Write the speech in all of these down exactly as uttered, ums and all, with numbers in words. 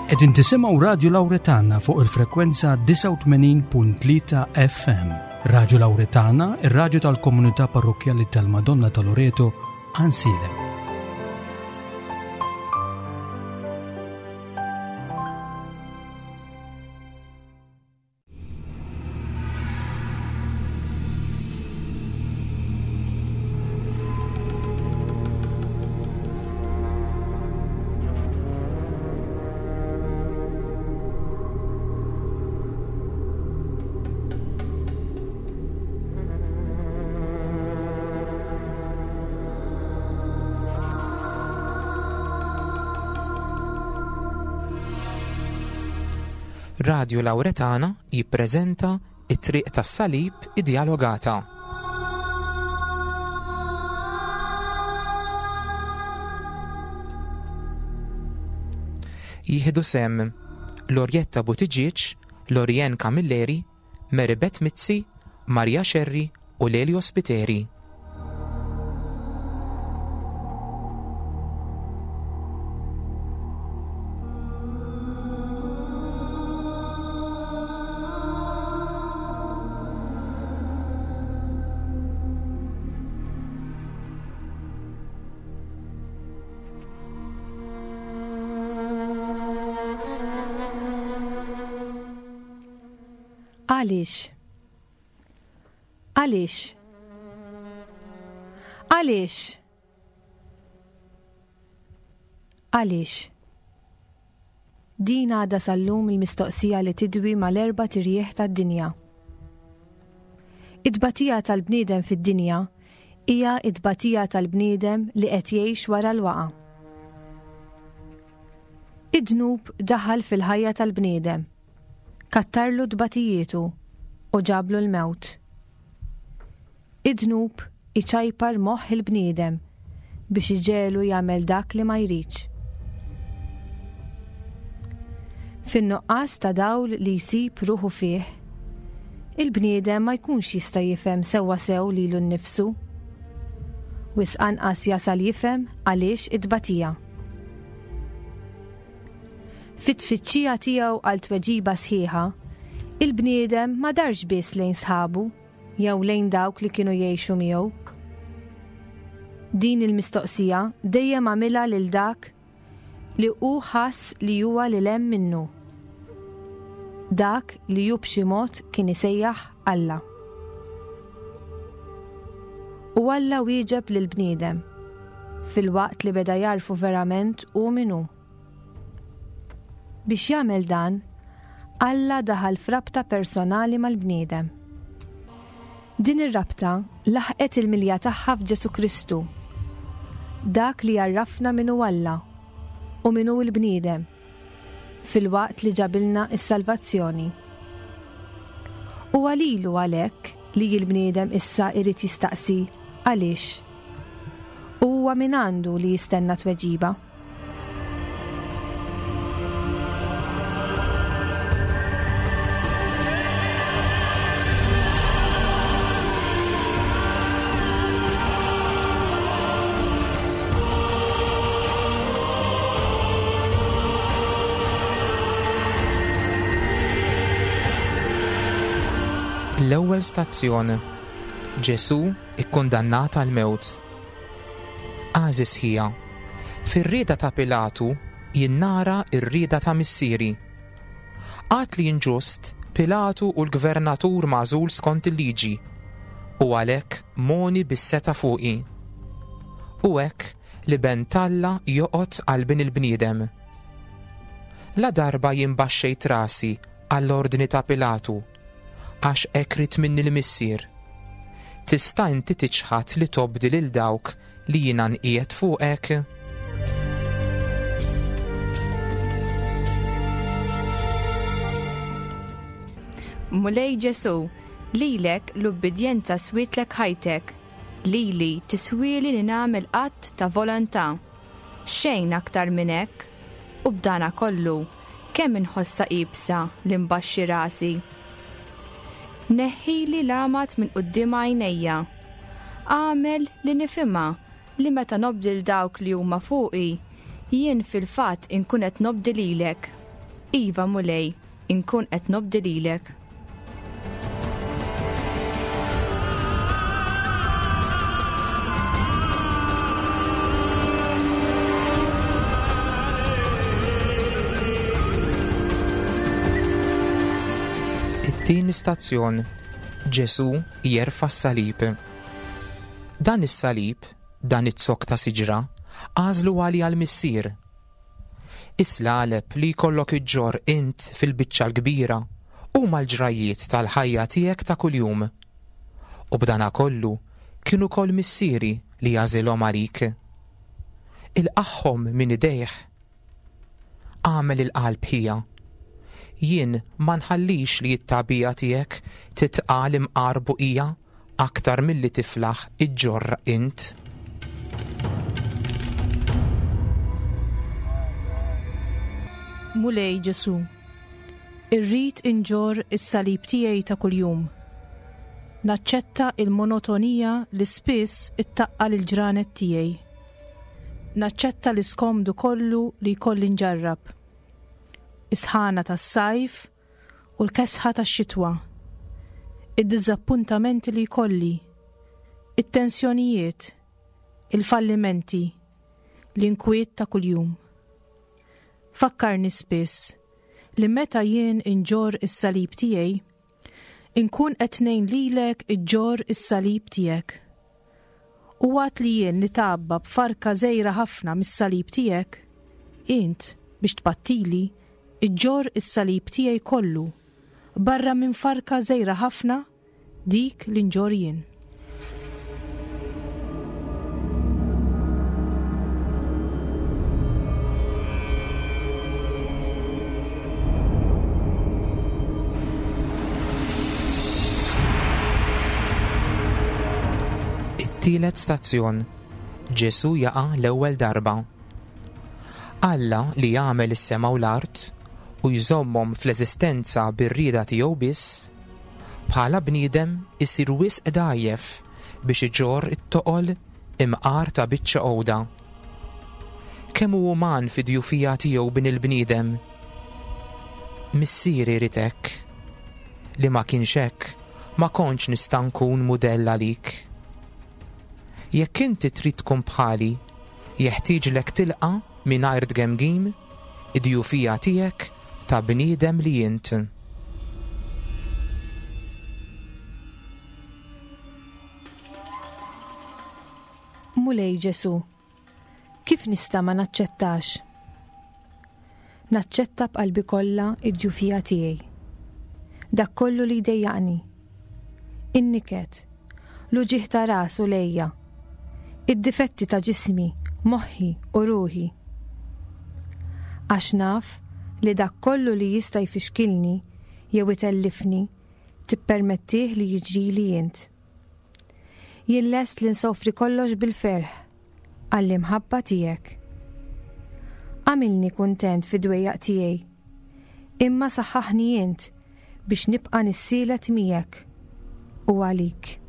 Qegħdin tisimgħu Radju Lawretana fuq il-frekwenza disgħa u tmenin punt tlieta F M. Radju Lawretana, ir-radju tal-Komunità Parrokkjali tal-Madonna ta' Loreto, Għajnsielem. Radju Lawretana jippreżenta It-Triq tas-Salib Iddialogata. Jieħdu sehem Lorjetta Buttigieg, Lorien Camilleri, Mary Beth Mizzi, Maria Scerri u Lelio Spiteri. Għaliex? Għaliex? Għaliex? Għaliex? Din għadha sal-lum il-mistoqsija li tidwi mal-erbat irjieħ tad-dinja. It-tbatija tal-bniedem fid-dinja hija it-tbatija tal-bniedem li qed jgħix wara l-waqa. Id-dnub daħal fil-ħajja tal-bniedem, kattarlu tbatijietu u ġablu l-mewt. Id-dnub iċajpar moħħ il-bniedem biex iġegħlu jagħmel dak li ma jridx. Fin-nuqqas ta' dawl li jsib ruħu fih, il-bniedem ma jkunx jista' jifhem sewwa sew lilu nnifsu. Wisq anqas jasal jifhem għaliex it-tbatija. Fit-tfittxija tiegħu għal tweġiba sħiħa, il-bniedem ma darx biss lejn sħabu jew lejn dawk li kienu jgħixu miegħu. Din il-mistoqsija dejjem għamilha lil dak li hu ħass li huwa lil hemm minnu. Dak li hu b'xi mod kien isejjaħ Alla. U Alla wieġeb lill-bniedem filwaqt li beda jarfu verament hu min hu. Biex jagħmel dan, Alla daħal f'rabta personali mal-bniedem. Din ir-rabta laħqet il-milja tagħha f'Ġesu Kristu, dak li għarrafna min hu Alla u min hu l-bniedem, filwaqt li ġabilna s-salvazzjoni. U għalilu għalhekk li l-bniedem issa irid jistaqsi għaliex. U huwa min għandu li jistenna tweġiba. L-ewwel stazzjon, Ġesu ikkundannat għal mewt. Għażiż ħija, fir-rieda ta' Pilatu jinnara r-rieda ta' missieri. Għad li inġust, Pilatu hu l-gvernatur magħżul skont il-liġi u għalhekk mogħni bis-setgħa fuqi. U hekk l-Iben t'Alla joqgħod għal bin il-bniedem. La darba jien baxxejt rasi għall-ordni ta' Pilatu, għax hekk ried minni l-missier. Tista' inti tiċħad li tobdi lil dawk li jiena nqiegħed fuqek? Mulej Ġesu, lilek l-ubbidjenza swietlek ħajtek, lili tiswili li nagħmel att ta' volontà. Xejn aktar minn hekk, u b'dana kollu, kemm inħossha iebsa li nbaxxi rasi. Neħħili l-għamad minn quddiem għajnejja. Agħmel li nifhimha li meta nobdi lil dawk li huma fuqi, jien fil-fatt inkun qed nobdi lilek. Iva Mulej, inkun qed nobdi lilek. It-tieni stazzjon Ġesù jerfa' s-salib. Dan is-salib, dan iz-zokk ta' siġra, għażlu għalija l-Missier. Is-slaleb li jkollok iġġorr int fil-biċċa l-kbira huma l-ġrajiet tal-ħajja tiegħek ta' kuljum. U b'dana kollu kien ukoll missieri li għażilhom għalik. Ilqagħhom minn idejh. Agħmel il-qalb ħija. Jien ma nħallix li t-tagħbija tiegħek titqal imqar buqija aktar milli tiflaħ iġġorr int. Mulej Ġesù, irrid inġorr is-salib tiegħi ta' kuljum. Naċċetta il-monotonija li spiss ittaqqal il-ġranet tiegħi. Naċċetta l-iskomdu kollu li jkolli nġarrab. Is-sħana tas-sajf u l-kesħa tax-xitwa. Id-diżappuntamenti li jkolli, it-tensjonijiet, il-fallimenti, l-inkwiet ta' kuljum. Fakkarni spiss li meta jien inġorr is-salib tiegħi, inkun qed ngħin lilek iġġorr is-salib tiegħek. U waqt li jien nitgħabba b'farka żgħira ħafna mis-salib tiegħek, int biex tpattili iġġorr is-salib tiegħi kollu, barra minn farka żgħira ħafna dik li nġorr jien. It-tielet stazzjon Ġesù jaqa' l-ewwel darba. Alla li jagħmel is-sema u l-art u jżommhom fl-eżistenza bir-rieda tiegħu biss, bħala bniedem isir wisq dgħajjef biex iġorr it-toqol imqar ta' biċċa għoda. Kemm hu uman fid-djufija tiegħu bin il-bniedem? Missieri jrid hekk. Li ma kienx hekk, ma kontx nista' nkun mudell għalik. Jekk inti trid tkun bħali, jeħtieġlek tilqa' mingħajr tgemgim id-djufija tiegħek ta' bniedem li int. Mulej Ġesù, kif nista' ma naċċettax? Naċċetta b'qalbi kollha id-djufija tiegħi. Dak kollu li jdejjaqni. In-niket, l-uġigħ ta' ras u lejja, id-difetti ta' ġismi, moħħi u ruħi. Għax naf li dak kollu li jista' jfixkilni jew itellifni tippermettih li jiġrili int. Jien lest li nsofri kollox bil-ferħ għall-imħabba tiegħek. Għamilni kuntent fid-dwejjaq tiegħi, imma saħħaħni int biex nibqa' nissielet miegħek u għalik.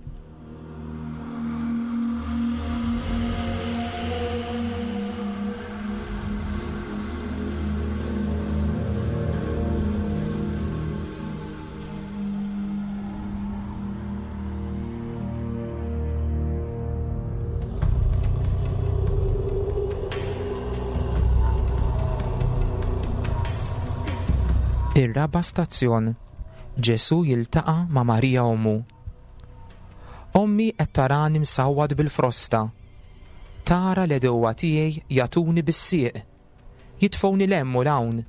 Ir-raba' stazzjon Ġesù jiltaqa' ma' Marija ommu. Ommi qed tarani msawwat bil-frosta. Tara l-għedewwa tiegħi jagħtuni bis-sieq. Jitfgħuni 'l hemm u 'l hawn,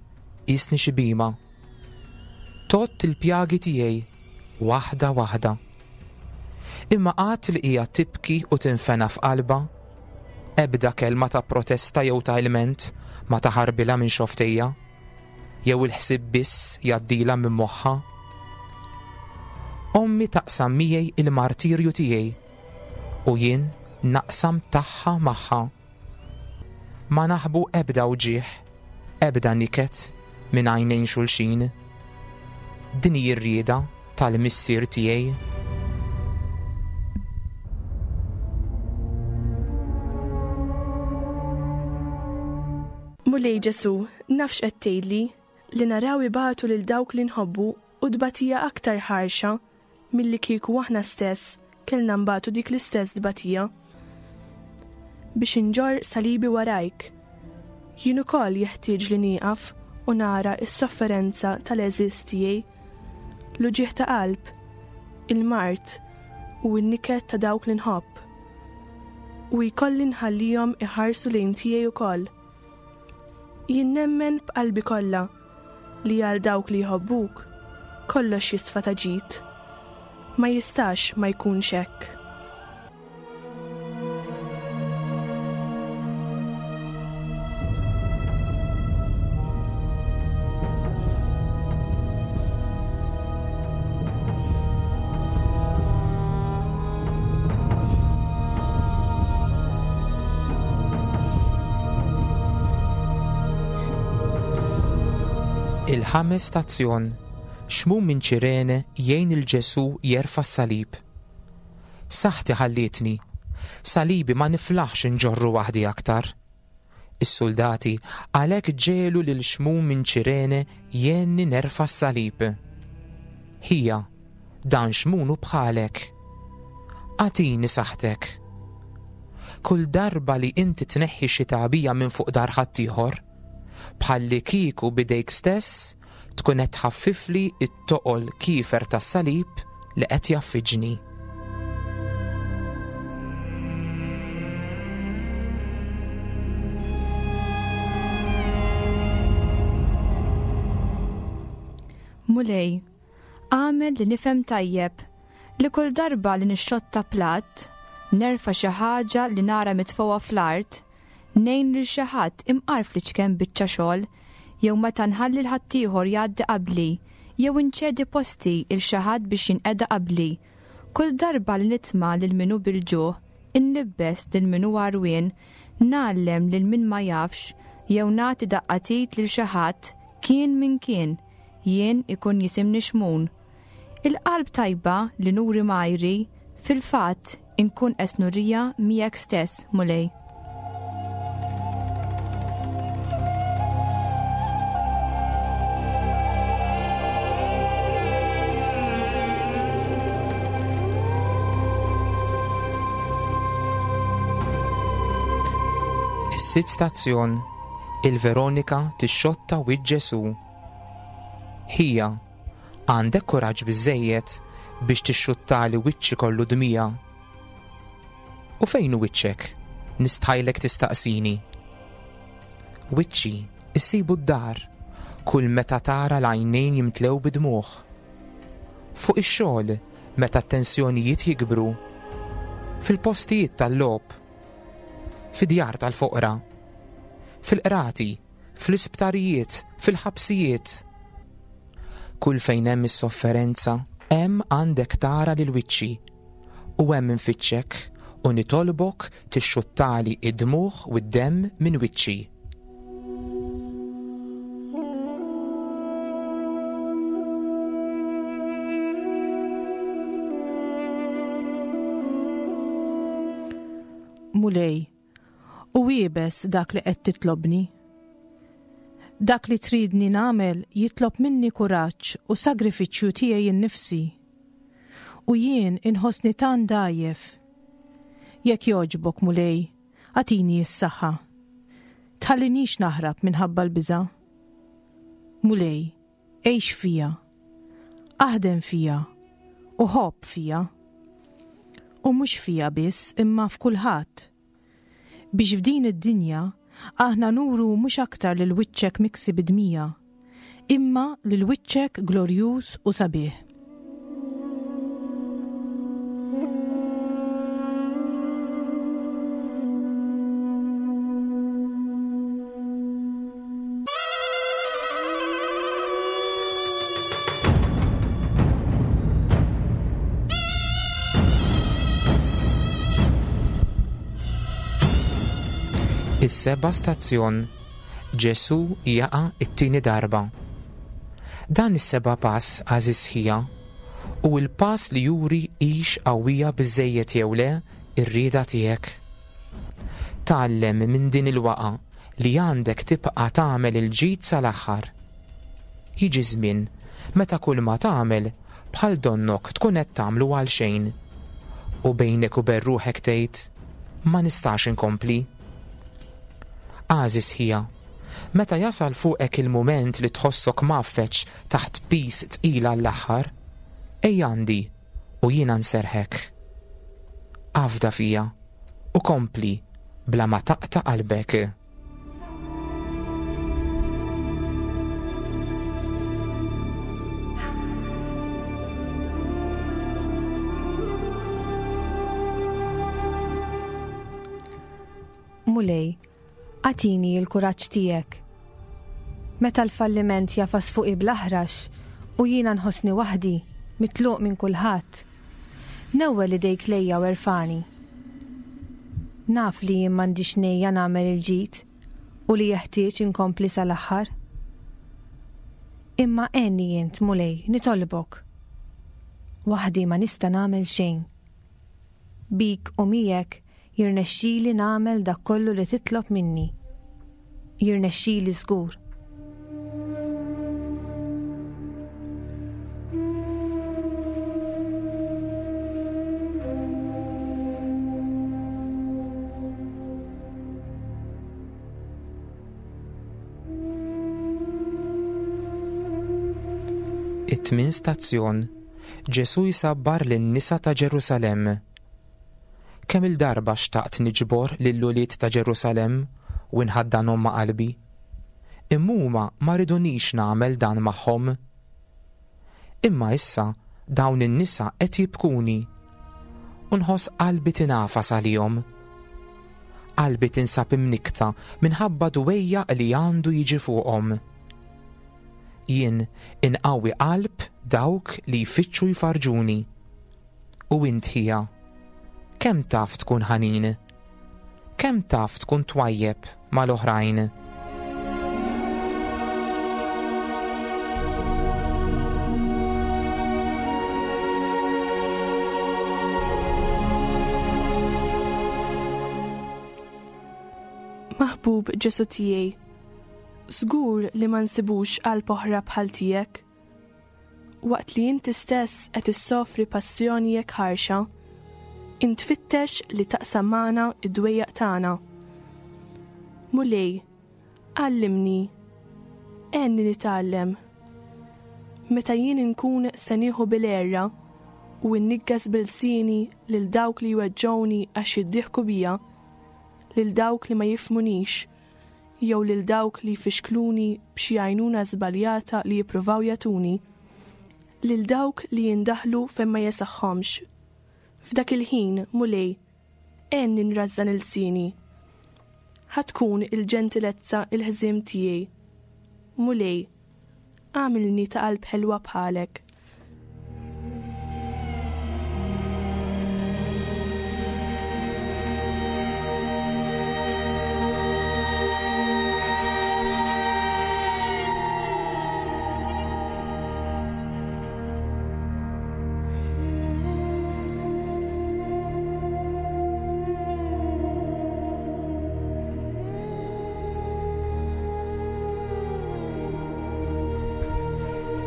qisni xi bhima. Tgħodd il-pjagi tiegħi waħda waħda. Imma qatt li hija tibki u tinfena f'qalbha, ebda kelma ta' protesta jew ta' ilment ma taħarbilha minn xoftejja, jew il-ħsieb biss jgħaddilha minn moħħha. Ommi taqsam miegħi il-martirju tiegħi u jien naqsam tagħha magħha. Ma naħbu ebda wġigħ, ebda niket minn għajnejn xulxin. Din hi r-rieda tal-missier tiegħi. Mulej Ġesù, naf x'qed tgħidli, Li naraw ibatu lil dawk li nħobbu u tbatija aktar ħarxa milli kieku aħna stess kellna nbatu dik l-istess tbatija. Biex inġorr salibi warajk, jien ukoll jeħtieġ li nieqaf u nara s-sofferenza tal-għeżież tiegħi, l-uġigħ ta' qalb, il-mard u n-niket ta' dawk li nħobb. U jkolli nħallihom iħarsu lejn tiegħi ukoll. Jien nemmen b'qalbi kollha li għal dawk li jħobbuk kollox jisfa ta' ġid. Ma jistax ma jkunx hekk. Il-ħames stazzjon, Xmun minn Ċirene jgħin il Ġesù jerfa' s-salib. Saħħti ħallietni, salibi ma niflaħx inġorru waħdi aktar. Is-soldati għalhekk ġelu lil Xmun minn Ċirene jgħinni nerfa' s-salib. Ħija, dan Xmun hu bħalek. Agħtini saħħtek. Kull darba li inti tneħħi xi tagħbija minn fuq dar ħaddieħor, bħalli kieku bidejk stess tkun qed tħaffifli t-toqol kiefer tas-salib li qed jaffiġni. Mulej, għamel li nifhem tajjeb li kull darba li nixxotta platt, nerfa' xi ħaġa li nara mitfgħa fl-art, ngħin lil xi ħadd imqar fl-iċken biċċa xogħol, jew meta nħalli l-ħaddieħor jgħaddi qabli, jew inċedi posti il xi ħadd biex jinqeda qabli. Kull darba li nitma' lil min hu bil-ġuħ, inlibbes lil min hu għarwien, ngħallem lil min ma jafx, jew nagħti daqqa t'id lil xi ħadd kien min kien, jien ikun jisimni Xmun. Il-qalb tajba li nuri majri, fil-fatt inkun qed nurija miegħek stess, Mulej. Is-sitt stazzjon, il-Veronika tixxotta wiċċ Ġesù. Ħija, għandek kuraġġ biżżejjed biex tixxuttali wiċċi kollu dmija. U fejn hu wiċċek? Nistħajlek tistaqsini. Wiċċi issibu d-dar kull meta tara l-għajnejn jimtlew bidmuħ. Fuq ix-xogħol meta t-tensjonijiet jikbru. Fil-postijiet tal-logħob. Fid-djar tal-foqra. Fil-qrati, fl-isptarijiet, fil-ħabsijiet. Kull fejn hemm is-sofferenza, hemm għandek tara lil wiċċi. U hemm infittxek u nitolbok tixxuttali id-dmugħ u d-demm minn wiċċi. Mulej, u iebes dak li qed titlobni. Dak li tridni nagħmel jitlob minni kuraġġ u sagrifiċċju tiegħi nnifsi. U jien inħossni tant dgħajjef. Jekk jogħġbok, Mulej, agħtini s-saħħa. Tħallinix naħrab minħabba l-biża'. Mulej, għix fija, aħdem fija u ħobb fija. U mhux fija biss imma f'kulħadd. Biex f'din id-dinja aħna nuru mhux aktar lil wiċċek miksi bidmija, imma lil wiċċek glorjuż u sabiħ. Is-seba' stazzjon, Ġesù jaqa' t-tieni darba. Dan is-seba' pass, għażiż ħija, u l-pass li juri hix qawwija biżżejjed jew le r-rieda tiegħek. Tgħallem minn din il-waqa' li għandek tibqa' tagħmel il-ġid sal-aħħar. Jiġi żmien meta kull ma tagħmel bħal donnok tkun qed tagħmlu għal xejn. U bejnek u bejn ruħek tgħid, ma nistax inkompli. Għażiż ħija, meta jasal fuqek il-mument li tħossok mgħaffeġ taħt piż tqil għall-aħħar, ejja għandi u jiena nserrħek. Afda fija u kompli bla ma taqta' qalbek. Mulej, agħtini l-kuraġġ tiegħek. Meta l-falliment jafas fuqi bl-aħrax u jiena nħossni waħdi, mitluq minn kulħadd, newwel idejk lejja u erfani. Naf li jien m'għandix nejja nagħmel il-ġid u li jeħtieġ inkompli sal-aħħar. Imma għenni int, Mulej, nitolbok. Waħdi ma nista' nagħmel xejn. Bik u miegħek jirnexxili nagħmel dak kollu li titlob minni. Jirnexxili żgur. It-tmien stazzjon, Ġesù jsabbar lin-nisa ta' Ġerusalemm. Kemm il-darba xtaqt niġbor lill-ulied ta' Ġerusalemm u nħaddanhom ma' qalbi. Imma huma ma ridunix nagħmel dan magħhom. Imma issa dawn in-nisa qed jibkuni u nħoss qalbi tingħafas għalihom. Qalbi tinsab imnikta minħabba dwejja li għandu jiġi fuqhom. Jien inqawwi qalb dawk li jfittxu jfarġuni. U int ħija, kemm taf tkun ħanin? Kemm taf tkun twajjeb mal-oħrajn? Maħbub Ġesu tiegħi, żgur li ma nsibux qalb oħra bħal tiegħek. Waqt li inti stess qed issofri passjoni jekk ħarxa, int tfittex li taqsam magħna id-dwejjaq tagħna. Mulej, għallimni, għenni nitgħallem. Meta jien inkun se nieħu bil-għerra u nniggas b'ilsieni lil dawk li jweġġgħuni għax jiddieħku bija, lil dawk li ma jifhmunix, jew lil dawk li jfixkluni b'xi għajnuna żbaljata li jippruvaw jagħtuni, lil dawk li jindaħlu fejn ma jesaħħomx. F'dak il-ħin, Mulej, għenni nrażżan ilsieni. Ħa tkun il-ġentilezza il-ħżiem tiegħi. Mulej, għamilni ta' qalb ħelwa bħalek.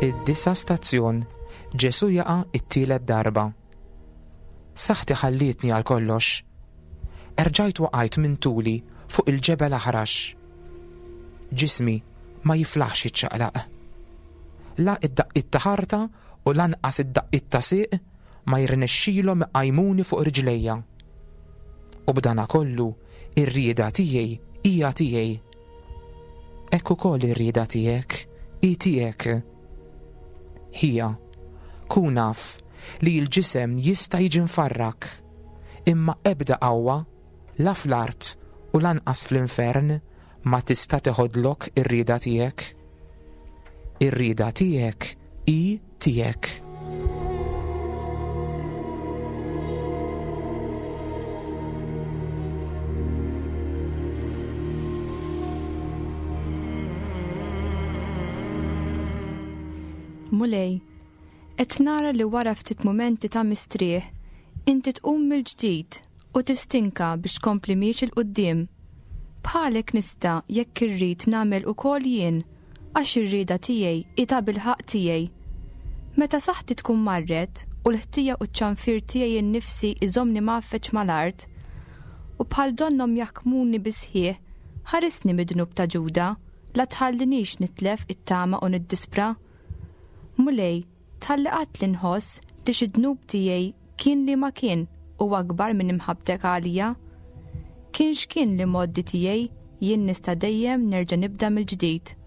Id-disa stazzjon, Ġesu jaqa' it-tielet darba. Saħħti ħallietni għal kollox. Erġajt waqajt minn tuli fuq il-ġebel aħrax. Ġismi ma jiflaħx jiċċaqlaq. La id-daqqiet ta' ħarta u lanqas id-daqqiet ta' sieq ma jirnexxilhom iqajmuni fuq riġlejja. U b'dana kollu ir-rieda tiegħi hija tiegħi. Hekk ukoll ir-rieda tiegħek hi tiegħek. Ħija, kun naf li l-ġisem jista' jiġi mfarrak, imma ebda qawwa la fl-art u lanqas fl-infern ma tista' teħodlok ir-rieda tiegħek. Ir-rieda tiegħek hi tiegħek. Mulej, qed nara li wara ftit mumenti ta' mistrieħ, inti tqum mill-ġdid u tistinka biex tkompli miexi 'l quddiem. Bħalek nista' jekk irrid nagħmel ukoll jien, Għax ir-rieda tiegħi hi tabilħaqq tiegħi. Meta saħħti tkun marret u l-ħtija u ċ-ċanfir tiegħi nnifsi iżommni mgħaffeġ mal-art, u bħal donnhom jaħkmuni bisħieħ, ħarisni mid-dnub ta' Ġuda, la tħallinix nitlef it-tama u niddispra. Mulej, tħalli qatt li nħoss li xi dnub tiegħi kien li ma kien u akbar minn imħabbtek għalija. Kien x'kien li moddi tiegħi, jien nista' dejjem nerġa' nibda mill-ġdid.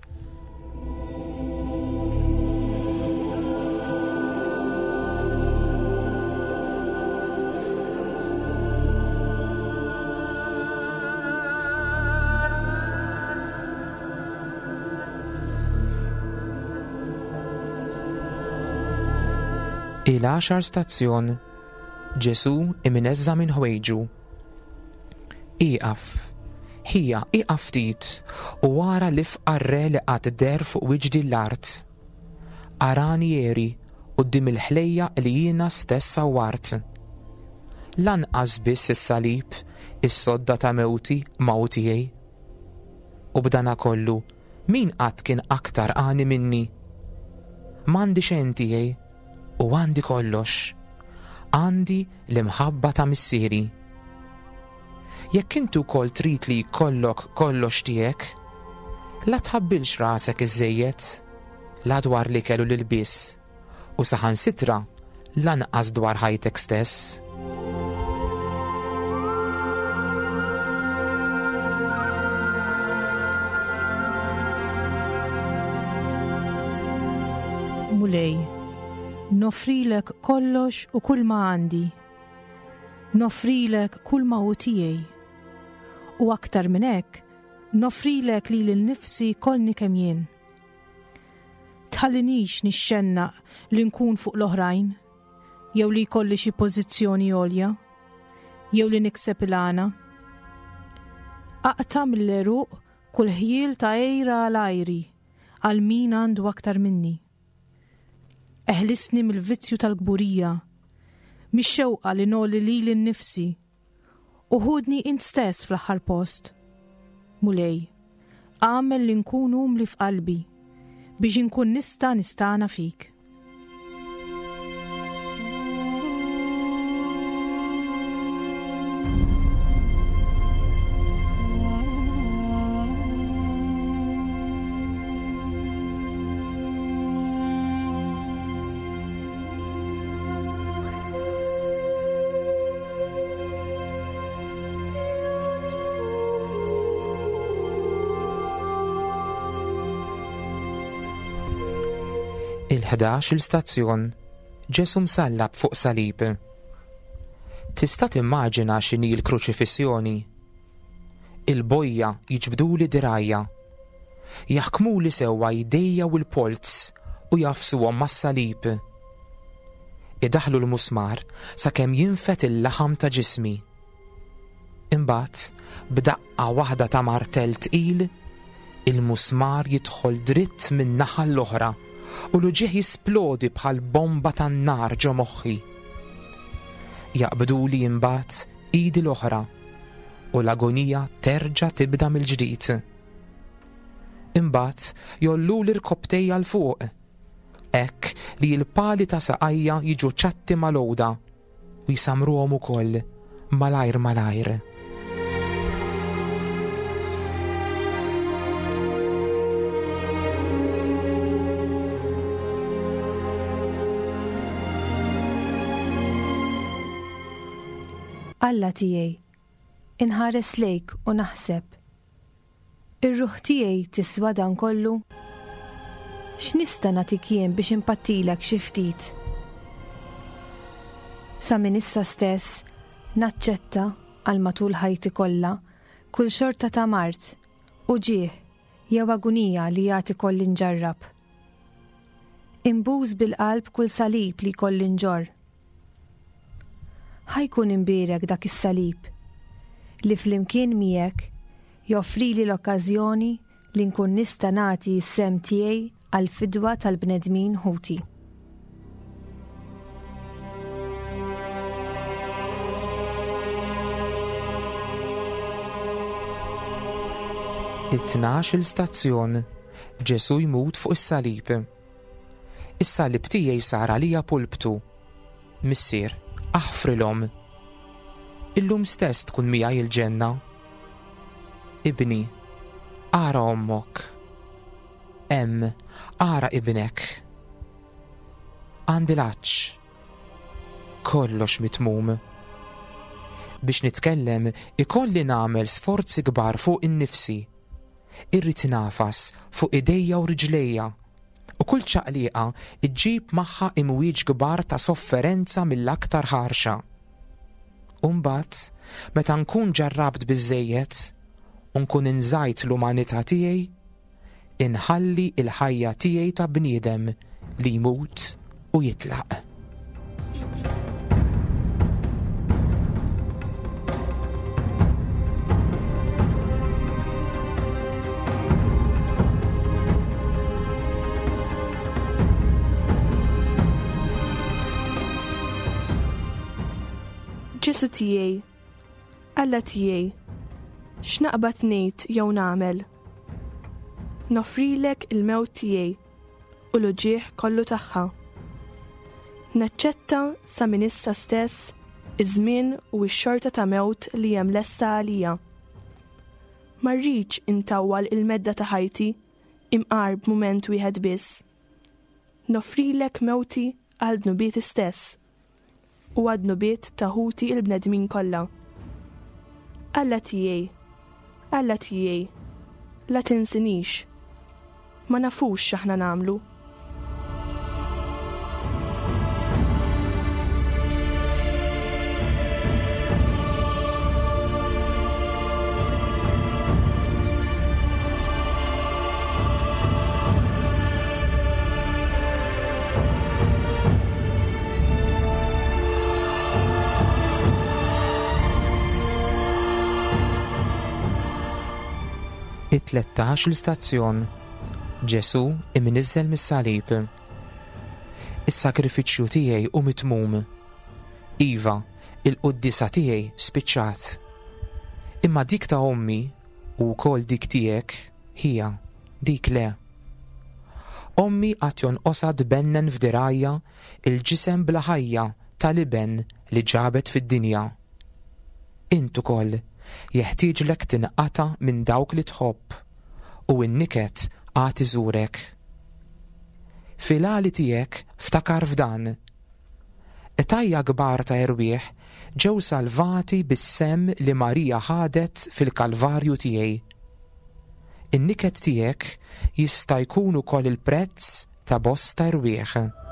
Il-għaxar stazzjon, Ġesù imneżża minn ħwejġu. Ieqaf, ħija, ieqaf ftit u ara l-ifqar re li qatt deher fuq wiċċ din l-art. Arani jeri quddiem il-ħlejjaq li jiena stess sawwart. Lanqas biss is-salib, is-sodda ta' mewti ma hu tiegħi. U b'dana kollu, min qatt kien aktar għani minni? M'għandi xejn tiegħi u għandi kollox. Għandi l-imħabba ta' missieri. Jekk inti wkoll trid li jkollok kollox tiegħek, la tħabbilx rasek iżżejjed, la dwar l-ikel u l-ilbies, u saħansitra lanqas dwar ħajtek stess. Mulej, nofrilek kollox u kull ma għandi. Nofrilek kull ma hu tiegħi. U aktar minn hekk, nofrilek lili nnifsi kollni kemm jien. Tħallinix nixxennaq li nkun fuq l-oħrajn, jew li jkolli xi pożizzjoni għolja, jew li nikseb il-għana. Aqta' mill-għeruq kull ħjiel ta' għira għal għajri għal min għandu aktar minni. Eħlisni mill-vizzju tal-kburija, mix-xewqa li noli lili nnifsi, u ħudni int stess fl-aħħar post. Mulej, għamel li nkun umli f'qalbi biex inkun nista' nistana fik. Il-ħdax il-stazzjon, Ġesù msallab fuq salib. Tista' timmaġina x'inhi l-kruċifissjoni? Il-bojja jiġbduli dirgħajja, jaħkmuli sewwa jdejja u l-polz u jafsuhom mas-salib. Idaħlu l-musmar sakemm jinfed il-laħam ta' ġismi. Imbagħad, b'daqqa waħda ta' martell tqil, il-musmar jidħol dritt minn naħa l-oħra u l-uġigħ jisplodi bħal bomba tan-nar ġo moħħi. Jaqbduli imbagħad idi l-oħra u l-agonija terġa' tibda mill-ġdid. Imbagħad jolluli rkobtejja 'l fuq, hekk li l-pali ta' saqajja jiġu ċatti mal-għoda u jsamruhom ukoll malajr malajr. Alla tiegħi, inħares lejk u naħseb. Ir-ruħ tiegħi tiswa dan kollu? X'nista' nagħtik jien biex impattilek xi ftit? Sa minn issa stess naċċetta għal matul ħajti kollha kull xorta ta' mard, uġigħ jew agunija li jagħti kolli nġarrab. Imbuż bil-qalb kull salib li jkolli nġorr. Ħajkun imbierek dak is-salib li flimkien miegħek joffrili l-okkażjoni li nkun nista' nagħti s-sehem tiegħi għall-fidwa tal-bnedmin ħuti. It-tnax il-stazzjon, Ġesù jmut fuq is-salib. Is-salib tiegħi sar għalija pulptu. Missier, aħfrilhom. Illum stess tkun miegħi il-ġenna. Ibni, ara ommok. Hemm, ara ibnek. Għandi l-għatx. Kollox mitmum. Biex nitkellem ikolli nagħmel sforzi kbar fuq innifsi. Irrid nagħfas fuq idejja u riġlejja. U kull ċaqliqa iġġib magħha imwieġ kbar ta' sofferenza mill-aktar ħarxa. U mbagħad, meta nkun ġarrabt biżżejjed u nkun inżajt l-umanità tiegħi, inħalli l-ħajja tiegħi ta' bniedem li jmut u jitlaq. Ġesu tiegħi, Alla tiegħi, x'naqbad ngħid jew nagħmel? Noffrilek il-mewt tiegħi u l-uġigħ kollu tagħha. Naċċetta sa minn issa stess iż-żmien u x-xorta ta' mewt li hemm lesta għalija. Ma rridx intawwal il-medda ta' ħajti imqar b'mument wieħed biss. Noffrilek mewti għal dnubieti stess u għad-dnubiet ta' ħuti il-bnedmin kollha. Alla tiegħi, Alla tiegħi, la tinsinix. Ma nafux x'aħna nagħmlu. It-tlettax l-istazzjon. Ġesu imniżżel mis-salib. Is-sakrifiċċju tiegħi hu mitmum. Iva, il-quddiesa tiegħi spiċċat. Imma dik ta' ommi u wkoll dik tiegħek hija dik le. Ommi għad jonqosha tbennen f'dirgħajja il-ġisem bla ħajja tal-iben li ġabet fid-dinja. Int ukoll jeħtieġlek tinqata' minn dawk li tħobb u n-niket għad iżurek. Fil-għali tiegħek ftakar f'dan. Qtajja kbar ta' erwieħ ġew salvati bis-semm li Marija ħadet fil-Kalvarju tiegħi. In-niket tiegħek jista' jkun ukoll il-prezz ta' bosta erwieħ.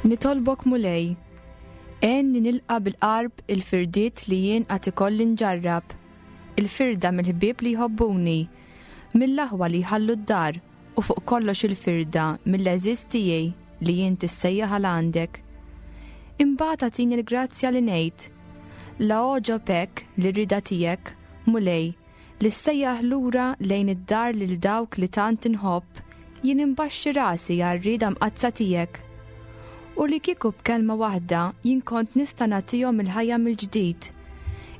Nitolbok Mulej, għenni nilqa' bil-qarb il-firdiet li jien għad ikolli nġarrab, il-firda mill-ħbieb li jħobbuni, mill-aħwa li jħallu d-dar u fuq kollox il-firda mill-għeżież tiegħi li jien tissejjaħ għal għandek. Imbagħad agħtini l-grazzja li ngħid, la għoġob hekk li rida tiegħek, Mulej, li ssejjaħ lura lejn id-dar lil dawk li tant inħobb, jien imbaxxi rasi għar-rieda mqaddsa tiegħek. U li kieku b'kelma waħda jien kont nista' nagħtihom il-ħajja mill-ġdid.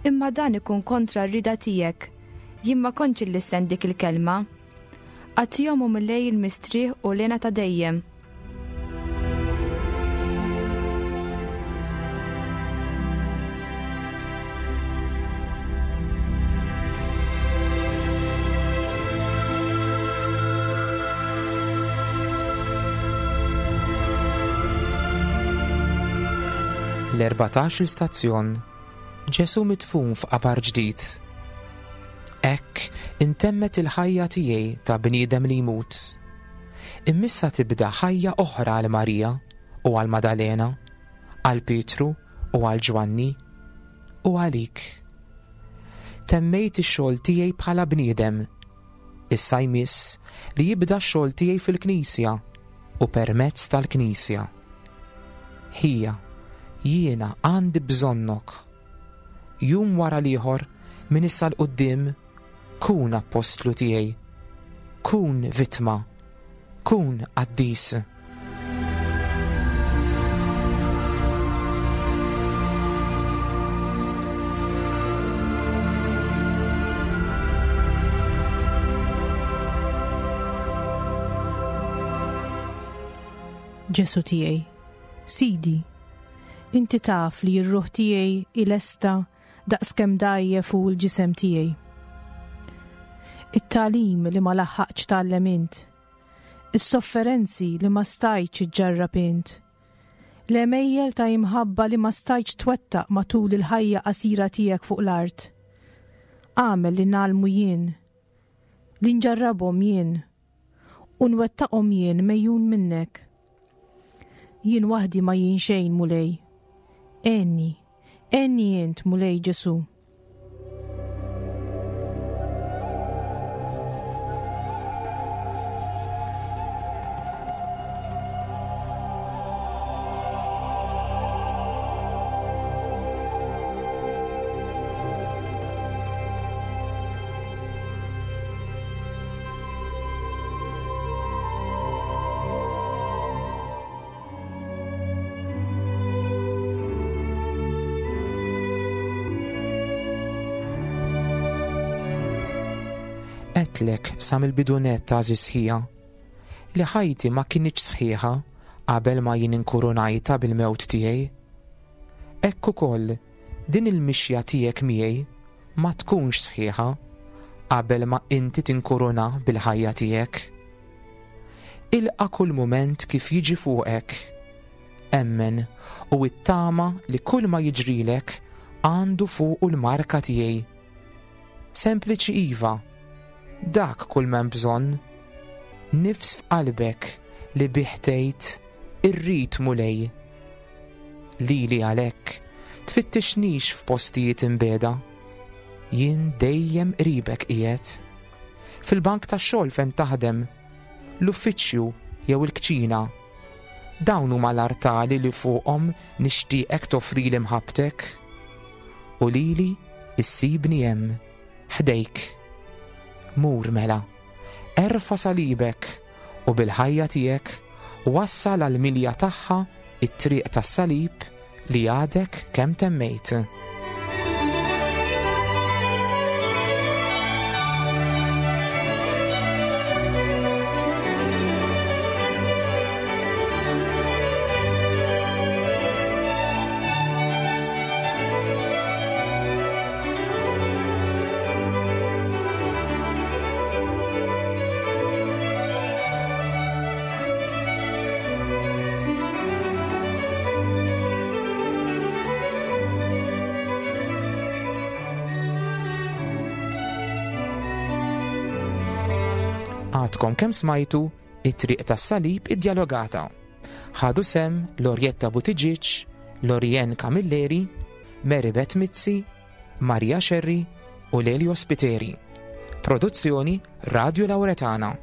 Imma dan ikun kontra r-rieda tiegħek. Jien ma kontx illissen dik il-kelma. Agħtihom u Mulej il-mistrieħ u l-hena ta' dejjem. L-erbatax l-istazzjon. Ġesu midfun f'qabar ġdid. Hekk intemmet il-ħajja tiegħi ta' bniedem li jmut. Immissa tibda ħajja oħra għal Marija u għal Madalena, għal Pietru u għal Ġwanni u għalik. Temmejt ix-xogħol tiegħi bħala bniedem. Issa jmiss li jibda x-xogħol tiegħi fil-Knisja u permezz tal-Knisja. Ħija, jiena għandi bżonnok. Jum wara l-ieħor minn issa 'l quddiem, kun appostlu tiegħi, Kun vittma, kun qaddis. Ġesu tiegħi, Sidi, inti taf li r-ruħ tiegħi ilesta daqskemm dgħajjef hu l-ġisem tiegħi. It-tagħlim li ma laħħaqx tgħallem int, is-sofferenzi li ma stajtx iġġarrab int, l-għemejjel ta' imħabba li ma stajtx twettaq matul il-ħajja qasira tiegħek fuq l-art. Agħmel li ngħallmu jien, li nġarrabhom jien, u nwettaqhom jien mejjun minnek. Jien waħdi ma jien xejn, Mulej. Għenni, għenni int, Mulej Ġesu. Għedtlek sa mill-bidu nett, għażiż ħija, li ħajti ma kinitx sħiħa qabel ma jien inkurunajta bil-mewt tiegħi. Hekk ukoll din il-mixja tiegħek miegħi ma tkunx sħiħa qabel ma inti tinkuruna bil-ħajja tiegħek. Ilqa' kull mument kif jiġi fuqek. Emmen u ittama li kull ma jiġrilek għandu fuqu l-marka tiegħi. Sempliċi iva, dak kull m'hemm bżonn. Nifs f'qalbek li bih tgħid irrid Mulej. Lili għalhekk tfittixnix f'postijiet imbeda. Jien dejjem qribek qiegħed. Fil-bank tax-xogħol fejn taħdem, l-uffiċċju jew il-kċina. Dawn huma l-artali li fuqhom nixtieqek toffrili mħabbtek. U lili issibni hemm, ħdejk. Mur mela, erfa' salibek u bil-ħajja tiegħek wassal għall-milja tagħha it-triq tas-salib li għadek kemm temmejt. Għadkom kemm smajtu it-triq tas-salib iddialogata. Ħadu sem Lorietta Buttigieg, Lorien Camilleri, Mary Beth Mizzi, Maria Scerri u Lelio Spiteri. Produzzjoni Radio Lauretana.